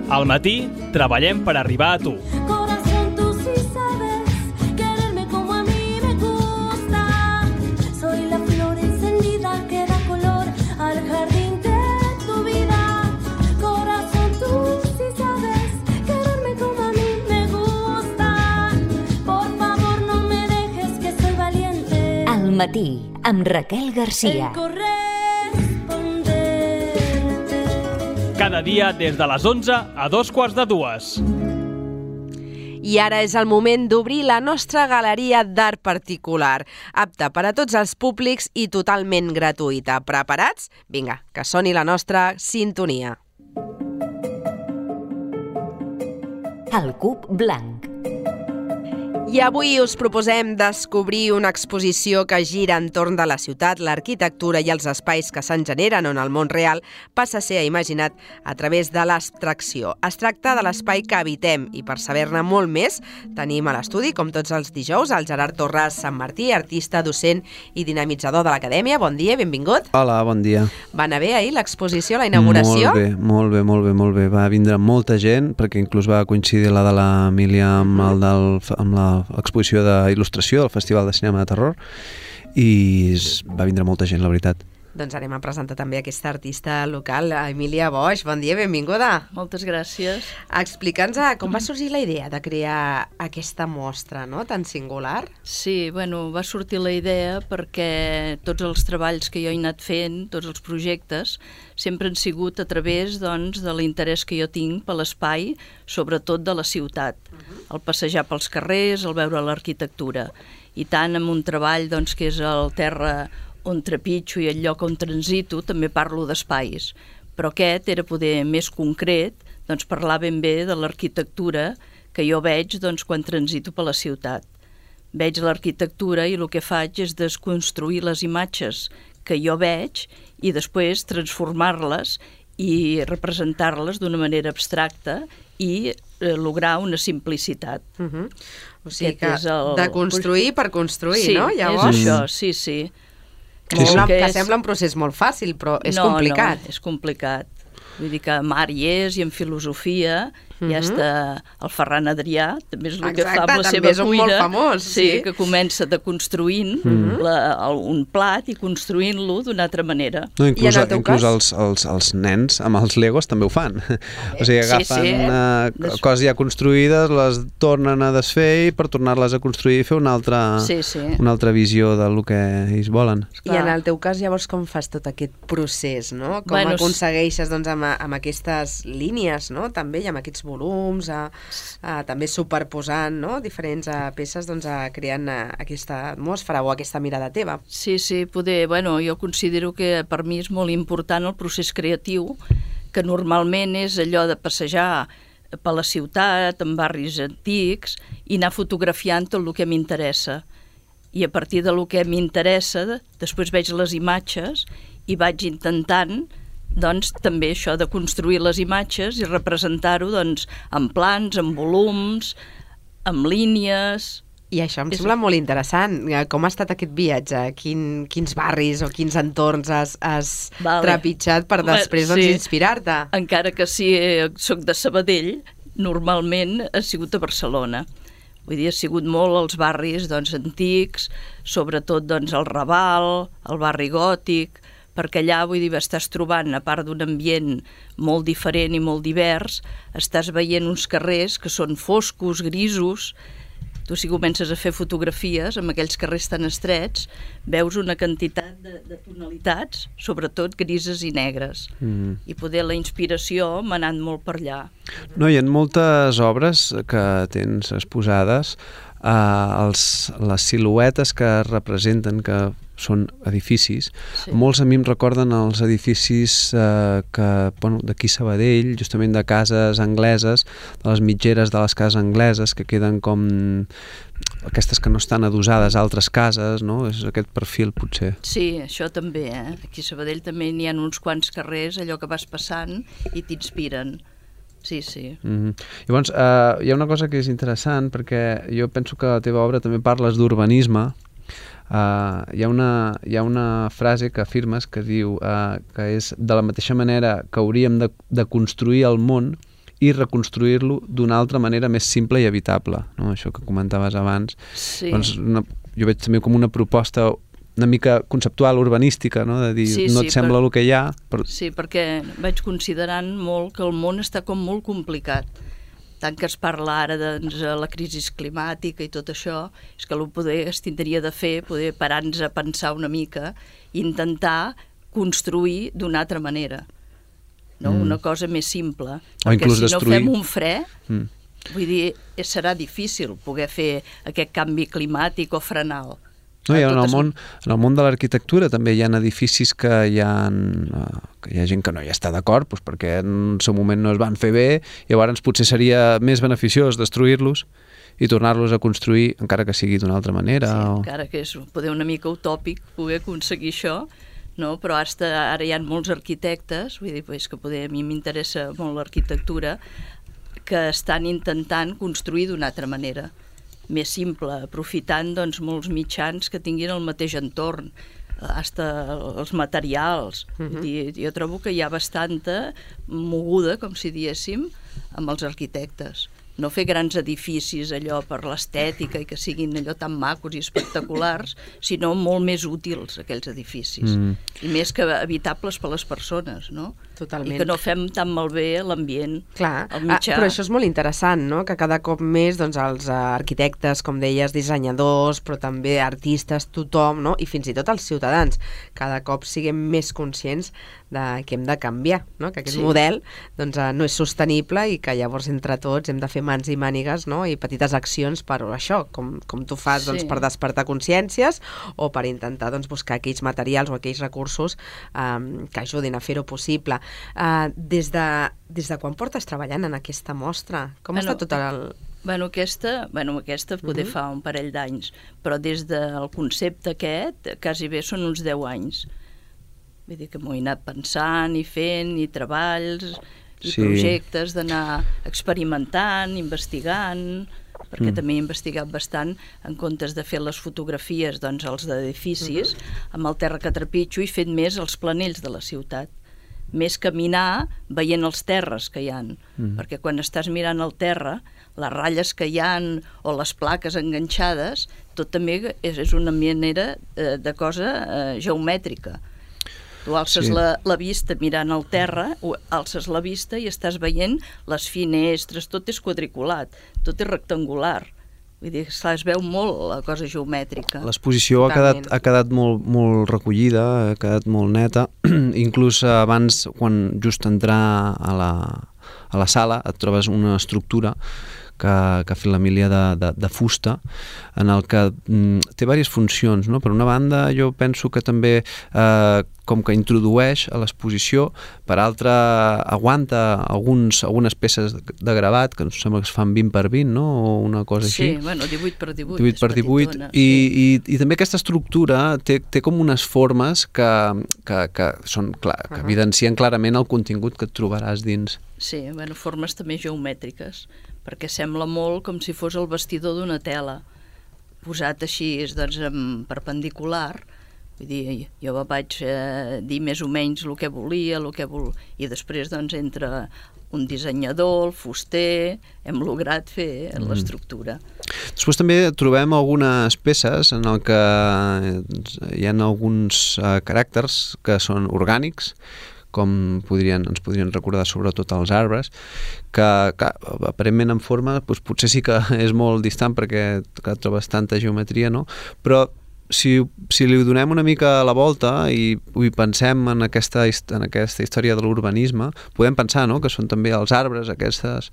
Al matí, treballem per arribar a tu. Corazón, tú sí sabes quererme como a mí me gusta. Soy la flor encendida que da color al jardín de tu vida. Corazón, tú sí sabes quererme como a mí me gusta. Por favor, no me dejes que soy valiente. Al matí, amb Raquel Garcia. Cada dia des de les 11 a 2:45. I ara és el moment d'obrir la nostra galeria d'art particular, apta per a tots els públics i totalment gratuïta. Preparats? Vinga, que soni la nostra sintonia. El cub blanc. I avui us proposem descobrir una exposició que gira entorn de la ciutat, l'arquitectura i els espais que se'n generen on el món real passa a ser imaginat a través de l'abstracció. Es tracta de l'espai que habitem i per saber-ne molt més tenim a l'estudi, com tots els dijous, el Gerard Torres Sant Martí, artista, docent i dinamitzador de l'Acadèmia. Bon dia, benvingut. Hola, bon dia. Va anar bé ahir l'exposició, la inauguració? Molt bé. Va vindre molta gent, perquè inclús va coincidir la de l'Emília amb l'exposició d'il·lustració del Festival de Cinema de Terror i va vindre molta gent, la veritat. Doncs anem a presentar també aquesta artista local, Emília Boix. Bon dia, benvinguda. Moltes gràcies. Explica'ns com va sorgir la idea de crear aquesta mostra, no?, tan singular. Sí, va sortir la idea perquè tots els treballs que jo he anat fent, tots els projectes, sempre han sigut a través, doncs, de l'interès que jo tinc per l'espai, sobretot de la ciutat. El passejar pels carrers, el veure l'arquitectura. I tant amb un treball, doncs, que és el terra on trepitjo i el lloc on transito, també parlo d'espais. Però aquest era poder més concret, doncs parlar ben bé de l'arquitectura que jo veig, doncs, quan transito per la ciutat. Veig l'arquitectura i el que faig és desconstruir les imatges que jo veig i després transformar-les i representar-les d'una manera abstracta i lograr una simplicitat. O sigui que de construir per construir, sí, no? Llavors... És això, sí. Que sembla un procés molt fàcil, però és complicat. No, és complicat. Vull dir que amb art hi és, i en filosofia, ja està el Ferran Adrià, també és el que fa amb la seva cuina. Exacte, també és un molt famós. Sí, que comença deconstruint un plat i construint-lo d'una altra manera. No, inclús els nens amb els Legos també ho fan. O sigui, agafen coses ja construïdes, les tornen a desfer per tornar-les a construir i fer una altra visió del que ells volen. I en el teu cas, llavors, com fas tot aquest procés, no? Com aconsegueixes, doncs, amb aquestes línies, no?, també, i amb aquests volums, també superposant, no?, diferents peces, doncs, creant aquesta atmosfera o aquesta mirada teva. Sí, jo considero que per mi és molt important el procés creatiu, que normalment és allò de passejar per la ciutat, en barris antics, i anar fotografiant tot el que m'interessa. I a partir del que m'interessa, després veig les imatges i vaig intentant, doncs, també això de construir les imatges i representar-ho, doncs, en plans, en volums, en línies. I això em sembla molt interessant. Com ha estat aquest viatge? Quins barris o quins entorns has trepitjat per després inspirar-te? Encara que sí, soc de Sabadell, normalment ha sigut a Barcelona. Vull dir, ha sigut molt els barris, doncs, antics, sobretot, doncs, el Raval, el barri gòtic, perquè allà, vull dir, estàs trobant, a part d'un ambient molt diferent i molt divers, estàs veient uns carrers que són foscos, grisos. Tu, si comences a fer fotografies amb aquells carrers tan estrets, veus una quantitat de tonalitats, sobretot grises i negres. I poder la inspiració m'ha anat molt per allà. No, hi ha moltes obres que tens exposades, les siluetes que representen, que són edificis. Molts a mi em recorden els edificis d'aquí a Sabadell, justament de cases angleses, de les mitgeres de les cases angleses, que queden com aquestes que no estan adossades a altres cases, no? És aquest perfil, potser. Sí, això també, Aquí a Sabadell també n'hi ha uns quants carrers, allò que vas passant, i t'inspiren. Sí. Llavors, hi ha una cosa que és interessant, perquè jo penso que a la teva obra també parles d'urbanisme. Hi ha una frase que afirmes que diu que és de la mateixa manera que hauríem de construir el món i reconstruir-lo d'una altra manera més simple i evitable, no? Això que comentaves abans. Sí. Doncs jo veig també com una proposta una mica conceptual, urbanística, no? De dir, no et sembla el que hi ha. Sí, perquè vaig considerant molt que el món està com molt complicat. Tant que es parla ara de la crisi climàtica i tot això, és que es tindria de fer, poder parar-nos a pensar una mica i intentar construir d'una altra manera. No? Una cosa més simple. O perquè si destruir. no fem un fre, vull dir, serà difícil poder fer aquest canvi climàtic o frenar-lo. No, en el món de l'arquitectura també hi ha edificis que hi ha gent que no hi està d'acord, doncs perquè en el seu moment no es van fer bé, i llavors potser seria més beneficiós destruir-los i tornar-los a construir, encara que sigui d'una altra manera. Sí, encara que és poder una mica utòpic poder aconseguir això, no? Però ara hi ha molts arquitectes, vull dir que a mi m'interessa molt l'arquitectura, que estan intentant construir d'una altra manera, més simple, aprofitant molts mitjans que tinguin el mateix entorn, fins els materials. Jo trobo que hi ha bastanta moguda, com si diéssim, amb els arquitectes. No fer grans edificis allò per l'estètica i que siguin allò tan macos i espectaculars, sinó molt més útils aquells edificis. I més que evitables per les persones, no? Totalment. I que no fem tan malbé l'ambient. Clar, el mitjà. Però això és molt interessant, no? Que cada cop més els arquitectes, com deies, dissenyadors, però també artistes, tothom, no? I fins i tot els ciutadans, cada cop siguem més conscients que hem de canviar, no? Que aquest model no és sostenible i que llavors entre tots hem de fer mans i mànigues, no? I petites accions per això, com tu fas per despertar consciències o per intentar buscar aquells materials o aquells recursos que ajudin a fer-ho possible. Des de quan portes treballant en aquesta mostra? Com està tot el... Aquesta poder fa un parell d'anys, però des del concepte aquest quasi bé són uns 10 anys. Vull dir que m'ho he anat pensant i fent, i treballs, i projectes d'anar experimentant, investigant, perquè també he investigat bastant en comptes de fer les fotografies, els d'edificis, amb el terra que trepitjo i fet més els planells de la ciutat. Més caminar veient els terres que hi ha, perquè quan estàs mirant el terra, les ratlles que hi ha o les plaques enganxades, tot també és una manera de cosa geomètrica. Tu alces la vista mirant el terra, alces la vista i estàs veient les finestres, tot és quadriculat, tot és rectangular. Vull dir, es veu molt la cosa geomètrica. L'exposició ha quedat molt recollida, ha quedat molt neta. Inclús abans, quan just entrar a la sala, et trobes una estructura que ha fet l'Emília de fusta, en el que té diverses funcions, no? Per una banda, jo penso que també com que introdueix a l'exposició, per altra aguanta algunes peces de gravat, que em sembla que es fan 20 per 20, no? O una cosa així. Sí, 18 per 18. 18 per 18. I també aquesta estructura té com unes formes que evidencien clarament el contingut que et trobaràs dins. Sí, formes també geomètriques, perquè sembla molt com si fos el vestidor d'una tela, posat així en perpendicular. Vull dir, jo vaig dir més o menys el que volia, i després entre un dissenyador, el fuster, hem lograt fer l'estructura. Després també trobem algunes peces en el que hi ha alguns caràcters que són orgànics, com ens podrien recordar sobretot els arbres, que aparentment en forma potser sí que és molt distant perquè trobes tanta geometria, no? Però si li donem una mica la volta i pensem en aquesta història de l'urbanisme, podem pensar, no?, que són també els arbres, aquestes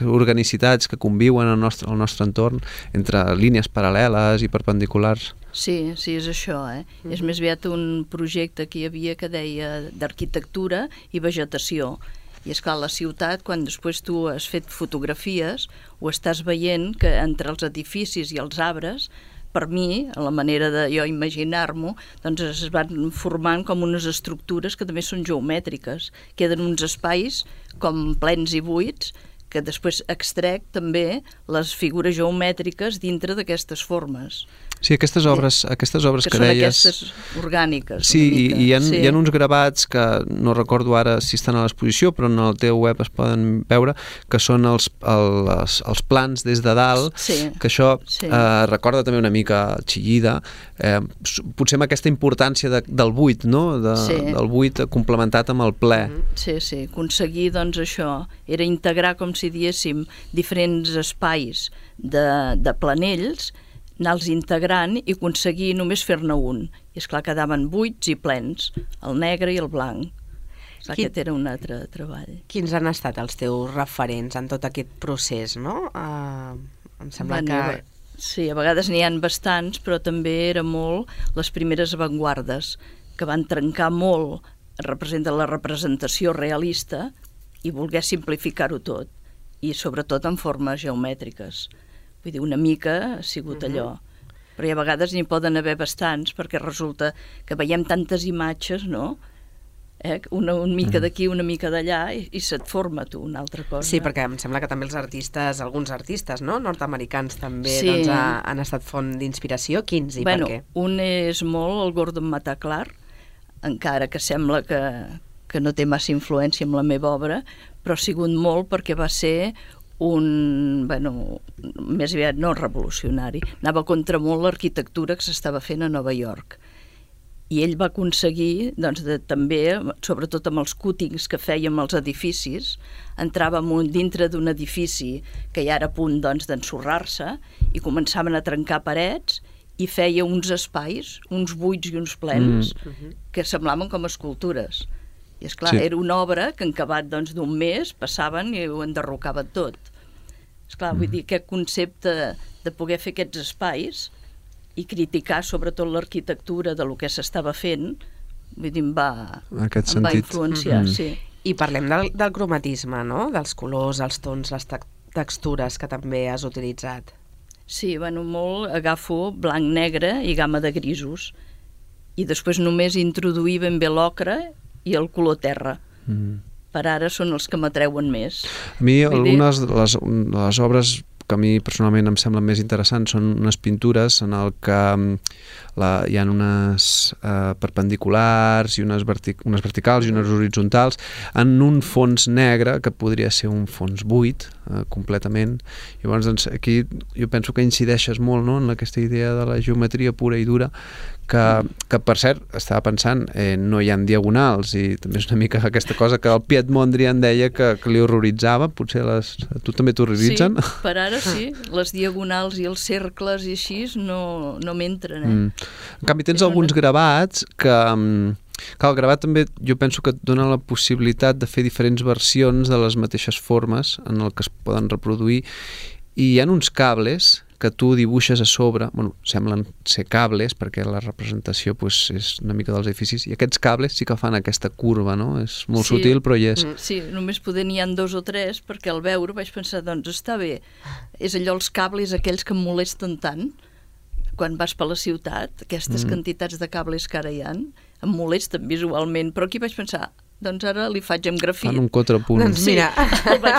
organicitats que conviuen al nostre entorn entre línies paral·leles i perpendiculars. Sí, és això, És més aviat un projecte que hi havia que deia d'arquitectura i vegetació. I és clar, la ciutat, quan després tu has fet fotografies, ho estàs veient que entre els edificis i els arbres, per mi, a la manera de jo imaginar-m'ho, es van formant com unes estructures que també són geomètriques. Queden uns espais com plens i buits perquè després extrec també les figures geomètriques dintre d'aquestes formes. Sí, aquestes obres que són deies... aquestes orgàniques. Sí, hi ha uns gravats que no recordo ara si estan a l'exposició, però en el teu web es poden veure, que són els plans des de dalt, que això recorda també una mica Chillida, potser amb aquesta importància del buit, no? Del buit complementat amb el ple. Sí, aconseguir doncs això, era integrar, com si diéssim, diferents espais de planells, anar-los integrant i aconseguir només fer-ne un. I esclar, quedaven buits i plens, el negre i el blanc. Aquest era un altre treball. Quins han estat els teus referents en tot aquest procés, no? Em sembla que... Sí, a vegades n'hi ha bastants, però també era molt les primeres avantguardes, que van trencar molt la representació realista i voler simplificar-ho tot, i sobretot en formes geomètriques. Vull dir, una mica ha sigut allò. Però a vegades n'hi poden haver bastants, perquè resulta que veiem tantes imatges, no? Una mica d'aquí, una mica d'allà, i se't forma tu una altra cosa. Sí, perquè em sembla que també els artistes, alguns artistes, no? Nord-americans també doncs, han estat font d'inspiració. Quins i per què? Un és molt el Gordon Mataclar, encara que sembla que no té massa influència amb la meva obra, però ha sigut molt perquè va ser més aviat no revolucionari, anava contra molt l'arquitectura que s'estava fent a Nova York. I ell va aconseguir, doncs, també, sobretot amb els cútings que fèiem als edificis, entràvem dintre d'un edifici que ja era a punt d'ensorrar-se i començaven a trencar parets i feia uns espais, uns buits i uns plens, que semblaven com escultures. I esclar, era una obra que en acabat d'un mes passaven i ho enderrocaven tot. Esclar, vull dir, aquest concepte de poder fer aquests espais i criticar sobretot l'arquitectura de lo que s'estava fent, vull dir, em va influenciar, sí. I parlem del cromatisme, no? Dels colors, els tons, les textures que també has utilitzat. Sí, molt agafo blanc, negre i gamma de grisos. I després només introduir ben bé l'ocre i el color terra. Per ara són els que m'atreuen més. A mi algunes de les obres que a mi personalment em semblen més interessants són unes pintures en el que hi ha unes perpendiculars i unes verticals i unes horitzontals en un fons negre que podria ser un fons buit completament. Llavors, doncs, aquí jo penso que incideixes molt, no?, en aquesta idea de la geometria pura i dura que per cert, estava pensant, no hi ha diagonals i també és una mica aquesta cosa que el Piet Mondrian deia que li horroritzava, potser tu també t'horroritzen? Sí, per ara sí, les diagonals i els cercles i així no m'entren. En canvi tens alguns gravats que el gravat també jo penso que et dona la possibilitat de fer diferents versions de les mateixes formes en el que es poden reproduir i hi ha uns cables que tu dibuixes a sobre, semblen ser cables perquè la representació és una mica dels edificis i aquests cables sí que fan aquesta curva, no? És molt sutil però hi és. Sí, només n'hi ha 2 o 3 perquè al veure vaig pensar, doncs està bé, és allò els cables aquells que em molesten tant quan vas per la ciutat, aquestes quantitats de cables que ara hi ha, em molesten visualment, però aquí vaig pensar, doncs ara li faig amb grafit. Fan un contrapunt. Doncs mira,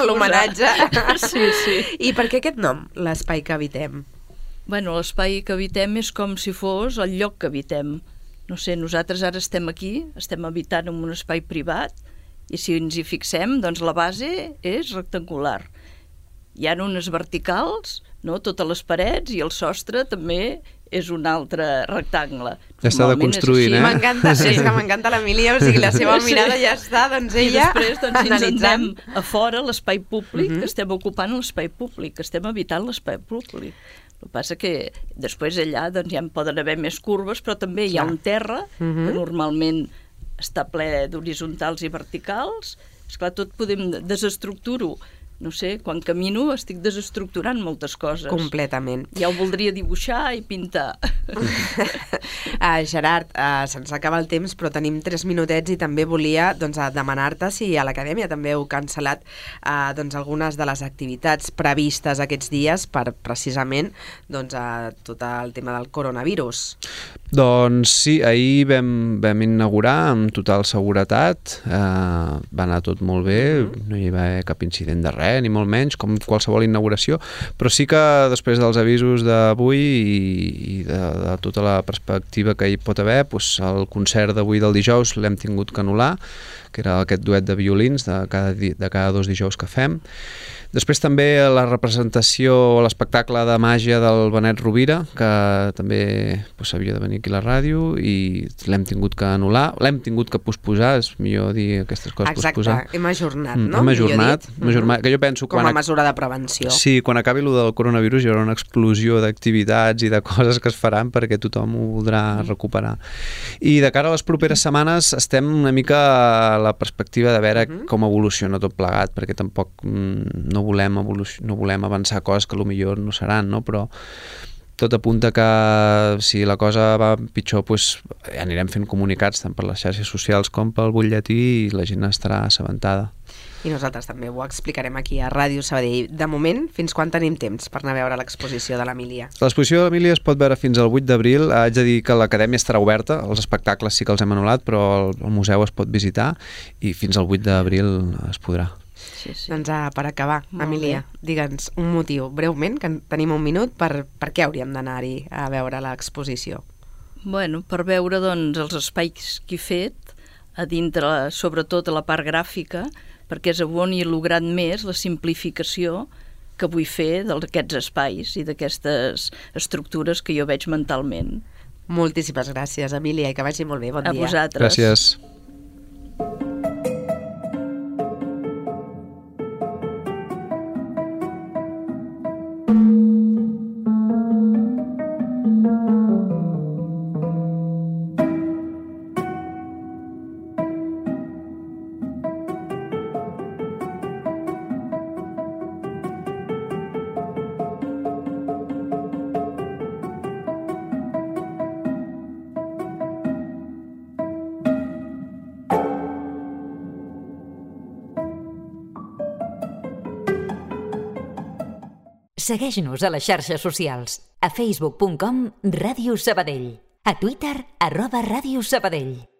l'homenatge. Sí. I per què aquest nom, l'espai que habitem? L'espai que habitem és com si fos el lloc que habitem. No sé, nosaltres ara estem aquí, estem habitant en un espai privat, i si ens hi fixem, doncs la base és rectangular. Hi ha unes verticals, no?, totes les parets, i el sostre també és un altre rectangle. Ja està de construint, M'encanta, és que m'encanta l'Emília, o sigui, la seva mirada ja està, doncs ella analitzant. I després, si ens anem a fora, l'espai públic, que estem ocupant l'espai públic, que estem habitant l'espai públic. El que passa que després allà doncs, ja en poden haver més curves, però també hi ha un terra que normalment està ple d'horitzontals i verticals. Esclar, tot podem desestructurar-ho. No sé, quan camino estic desestructurant moltes coses. Completament. Ja ho voldria dibuixar i pintar. Gerard, se'ns acaba el temps, però tenim 3 minutets i també volia demanar-te si a l'Acadèmia també heu cancel·lat algunes de les activitats previstes aquests dies per precisament tot el tema del coronavirus. Doncs sí, ahir vam inaugurar amb total seguretat, va anar tot molt bé, no hi va haver cap incident de res, ni molt menys, com qualsevol inauguració, però sí que després dels avisos d'avui i de tota la perspectiva que hi pot haver, doncs el concert d'avui del dijous l'hem tingut que anul·lar, que era aquest duet de violins de cada 2 dijous que fem. Després també la representació o l'espectacle de màgia del Benet Rovira, que també s'havia de venir aquí a la ràdio i l'hem tingut que anul·lar, l'hem tingut que posposar, és millor dir aquestes coses. Posposar. Exacte, hem ajornat, no? Hem ajornat, que jo penso... Com a mesura de prevenció. Sí, quan acabi el del coronavirus hi haurà una explosió d'activitats i de coses que es faran perquè tothom ho voldrà recuperar. I de cara a les properes setmanes estem una mica a la perspectiva de veure com evoluciona tot plegat, perquè tampoc no volem avançar coses que potser no seran, no? Però tot apunta que si la cosa va pitjor anirem fent comunicats tant per les xarxes socials com pel butlletí i la gent estarà assabentada. I nosaltres també ho explicarem aquí a Ràdio Sabadell. De moment, fins quan tenim temps per anar a veure l'exposició de l'Emília? L'exposició de l'Emília es pot veure fins al 8 d'abril. Haig de dir que l'acadèmia estarà oberta, els espectacles sí que els hem anul·lat, però el museu es pot visitar i fins al 8 d'abril es podrà. Sí. Doncs per acabar, Emília, digue'ns un motiu, breument, que tenim un minut, per què hauríem d'anar-hi a veure l'exposició? Bueno, per veure doncs, els espais que he fet, a dintre, sobretot a la part gràfica, perquè és on he lograt més la simplificació que vull fer d'aquests espais i d'aquestes estructures que jo veig mentalment. Moltíssimes gràcies, Emília, i que vagi molt bé. Bon dia. A vosaltres. Gràcies. Segueix-nos a les xarxes socials. A facebook.com/Ràdio Sabadell. A Twitter @Ràdio Sabadell.